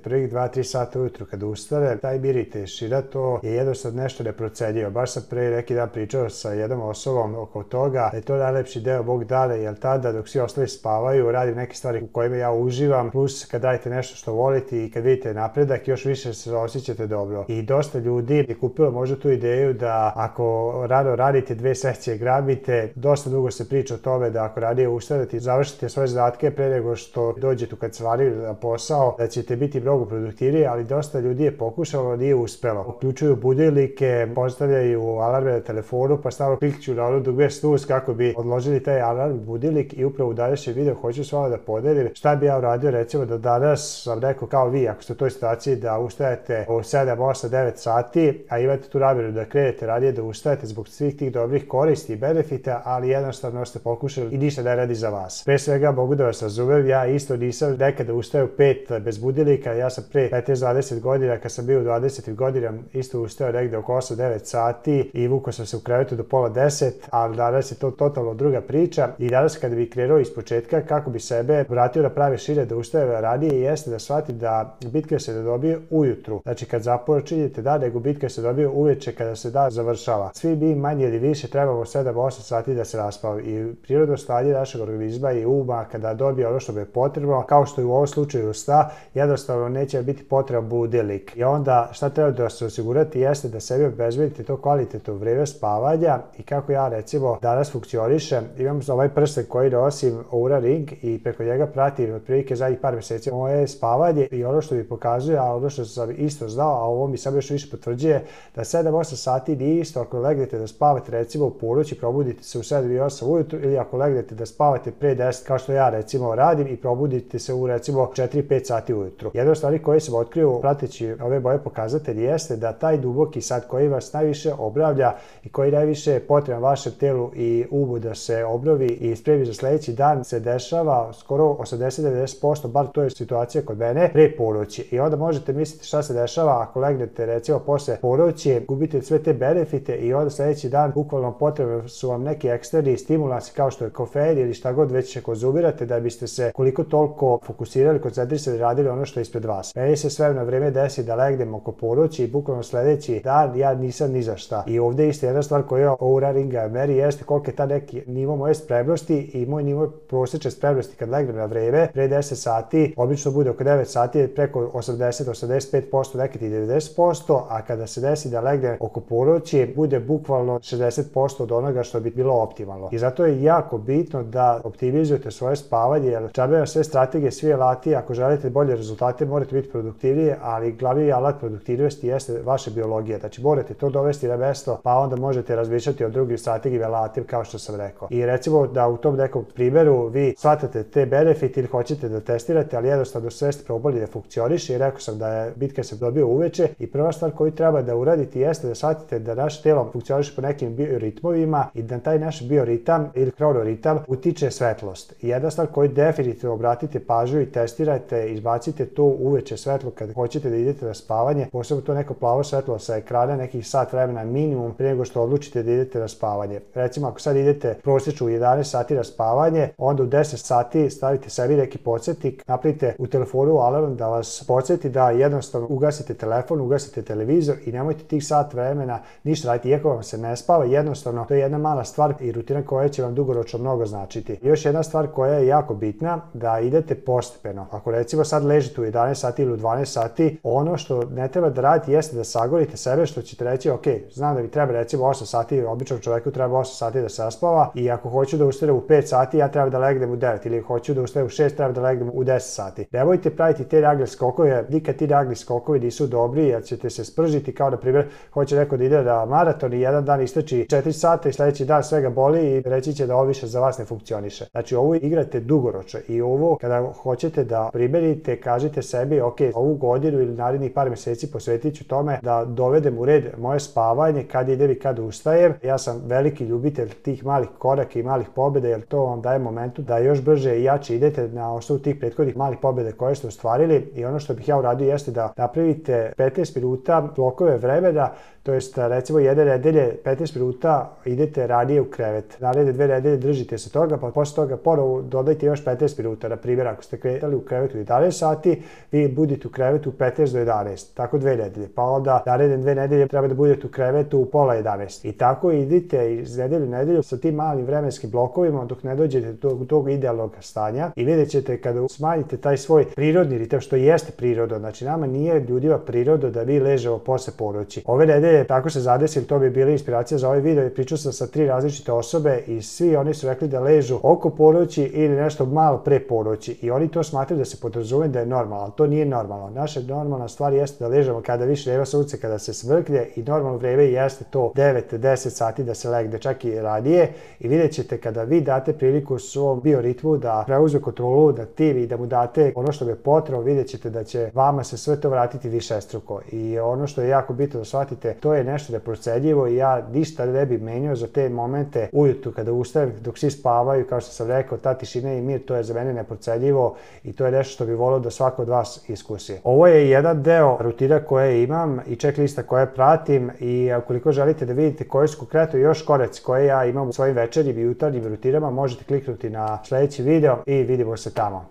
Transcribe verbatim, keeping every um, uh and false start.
prvih dva do tri sata ujutru kad ustane, taj mir i tišina, to je jednostavno nešto neprocenjivo. Baš sam pre neki dan pričao sa jednom osobom oko toga da je to najlepši deo mog dana, jer tada dok svi ostali spavaju radim neke stvari u kojima ja uživam, plus kad radite nešto što volite i kad vidite napredak još više se osjećate dobro. I dosta ljudi je kupilo možda tu ideju da ako rano radite dve sekcije grabite, dosta dugo se priča o tome da ako ranije ustanete i završite svoje zadatke pre nego što dođete u kancelariju na posao, da ćete biti mnogo produktivniji, ali dosta ljudi je pokušalo, nije uspelo. Uključuju budilnike, postavljaju alarme na telefonu, pa stavno klikću na ono dugme snus kako bi odložili taj alarm budilnik i upravo u današnjem videu hoću s vama da podelim šta bi ja uradio, recimo da danas sam rekao kao vi, ako ste u toj situaciji da ustajete u sedam, osam, devet sati, a imate tu namjeru da krenete radije da ustajete zbog svih tih dobrih koristi i benefita, ali jednostavno ste pokušali i ništa ne radi za vas. Pre svega mogu da vas razumem, ja isto nisam nekada ustao u pet bez budilnika, ja sam pre petnaest do dvadeset godina, kad sam bio u dvadesetim godinama, isto ustao negde oko osam do devet sati i vukao sam se u krevetu do pola deset, ali danas je to totalno druga priča i danas kada bi krenuo iz početka kako bi sebe vratio na prave šire da ustaje ranije jeste da shvatim da bitka se ne dobije ujutru, znači kad započinjete dan, nego bitka se dobije uveče kada se dan završava. Svi mi manje ili više trebamo sedam do osam sati da se raspavamo i prirodno stanje našeg organizma i uma kada dobije ono što bi je potrebno, kao što je u ovom slučaju sna, jednostavno neće biti potreban budilnik. I onda šta treba da se osigurati jeste da sebi obezbedite to kvalitetno vreme spavanja i kako ja recimo danas funkcionišem, imam ovaj prsten koji nosim Oura Ring i preko njega pratim otprilike zadnjih par meseci moje spavanje i ono što mi pokazuje, a ono što sam isto znao, a ovo mi samo još više potvrđuje, da sedam do osam sati nije isto ako legnete da spavate recimo u ponoć i probudite se u sedam i osam ujutru ili ako legnete da spavate pre deset kao što ja recimo radim i probudite se u recimo četiri do pet sati ujutru. Jedna od stvari koje sam otkrio prateći ove moje pokazatelje jeste da taj duboki san koji vas najviše obnavlja i koji najviše je potreban vašem telu i umu da se obnovi i spremi za sledeći dan se dešava skoro osamdeset do devedeset posto, bar to je situacija kod mene, pre ponoći. I onda možete misliti šta se dešava ako legnete recimo posle ponoći, gubite sve te benefite i onda sledeći dan bukvalno potrebni su vam neki eksterni stimulansi kao što je kofein ili šta god već će konzumirate da biste se koliko toliko fokusirali, koncentrisali, radili ono što je ispred vas. Meni se sve na vreme desi da legnem oko ponoći i bukvalno sledeći dan ja nisam ni za šta. I ovde isto jedna stvar koja Oura Ringa meri jeste koliko je ta neki nivo moje spremnosti i moj nivo prosečne spremnosti kad legnem na vreme pre deset sati, obično bude oko devet sati, preko osamdeset do osamdeset pet posto, nekad i devedeset posto, a kada se desi da legnem oko ponoći bude bukvalno šezdeset posto od onoga što bi bilo optimalno. I zato je jako bitno da optimizujete svoje spavanje, jer džabe sve strategije, svi alati, ako želite bolje rezultate morate biti produktivniji, ali glavni alat produktivnosti jeste vaša biologija. Znači morate to dovesti na mesto, pa onda možete razmišljati o drugim strategijama, alatima kao što sam rekao. I recimo da u tom nekom primjeru vi shvatate te benefite ili hoćete da testirate, ali jednostavno sve ste probali da funkcioniše i rekao sam da je bitka se dobio uveče i prva stvar koju treba da uradite jeste da shvatite da naše telo funkcioniše po nekim bioritmovima i da taj naš bioritam ili hronoritam utiče svetlost. I jedna stvar koju definitivno obratite pažnju i testirajte, izbacite to uveče svetlo kad hoćete da idete na spavanje, posebno to neko plavo svetlo sa ekrana, nekih sat vremena minimum pre nego što odlučite da idete na spavanje. Recimo ako sad idete prosječno u jedanaest sati na spavanje, onda u deset sati stavite sebi neki podsjetnik, napravite u telefonu alarm da vas podsjeti da jednostavno ugasite telefon, ugasite televizor i nemojte tih sat vremena ništa raditi, iako vam se ne spava, jednostavno to je jedna mala stvar i rutina koja će vam dugoročno mnogo značiti. I još jedna stvar koja je jako bitna, da idete postepeno. Ako recimo sad ležite u jedanaest sati ili u dvanaest sati, ono što ne treba da radite jeste da sagorite sebe, što ćete reći, ok, znam da mi treba recimo osam sati, običnom čoveku treba osam sati da se raspava i ako hoću da ustanem u pet sati, ja treba da legnem u devet ili hoću da ustanem u šest, treba da legnem u deset sati. Nemojte praviti te nagli skokove, nikad ti nagli skokovi nisu dobri jer ćete se spržiti, kao na primjer hoće neko da ide na maraton i jedan dan istrči četiri sata i sledeći dan svega boli i reći će da ovo više za vas ne funkcioniše. Znači ovo igrate dugoročno i ovo kada hoćete da primenite, kažite sebi, ok, ovu godinu ili narednih par meseci posvetit ću tome da dovedem u red moje spavanje, kad idem i kad ustajem. Ja sam veliki ljubitelj tih malih koraka i malih pobjeda jer to vam daje momentu da još brže i jače idete na osnovu tih prethodnih malih pobjeda koje ste ostvarili. I ono što bih ja uradio jeste da napravite petnaest minuta blokove vremena, to jest recimo jedne nedelje petnaest minuta idete ranije u krevet. Naredne dve nedelje držite se toga, pa posle toga ponovo dodajte još petnaest minuta. Na primjer, ako ste kretali u krevetu jedanaest sati, vi budete u krevetu u petnaest do jedanaest, tako dve nedelje, pa onda naredne dve nedelje treba da budete u krevetu u pola jedanaest. I tako idite iz nedelju u nedelju sa tim malim vremenskim blokovima dok ne dođete do tog idealnog stanja i vidjet ćete kada smanjite taj svoj prirodni ritam, što jeste priroda, znači nama nije ljudima priroda da mi ležemo posle ponoći. Ove nedelje tako se zadesim, to bi bila inspiracija za ovaj video, pričao sam sa tri različite osobe i svi oni su rekli da ležu oko ponoći ili nešto malo pre ponoći i oni to smatraju da se podrazume da je normalno, ali to nije normalno. Naša normalna stvar jeste da ležemo kada više nema sunce, kada se smrklje i normalno vreme jeste to devet do deset sati da se legne, čak i ranije i vidjet ćete kada vi date priliku svom bioritmu da preuzme kontrolu nad tim i da mu date ono što je potrebno, vidjet ćete da će vama se sve to vratiti višestruko. I ono što je jako bitno da shvatite, to je nešto neprocenjivo i ja ništa ne bi menjao za te momente ujutru kada ustajem, dok svi spavaju, kao što sam rekao, ta tišina i mir, to je za mene neprocenjivo i to je nešto što bi volio da svako od vas iskusi. Ovo je jedan deo rutina koje imam i checklista koje pratim i ukoliko želite da vidite koji su konkretno još koraci koje ja imam u svojim večernjim i jutarnjim rutinama, možete kliknuti na sledeći video i vidimo se tamo.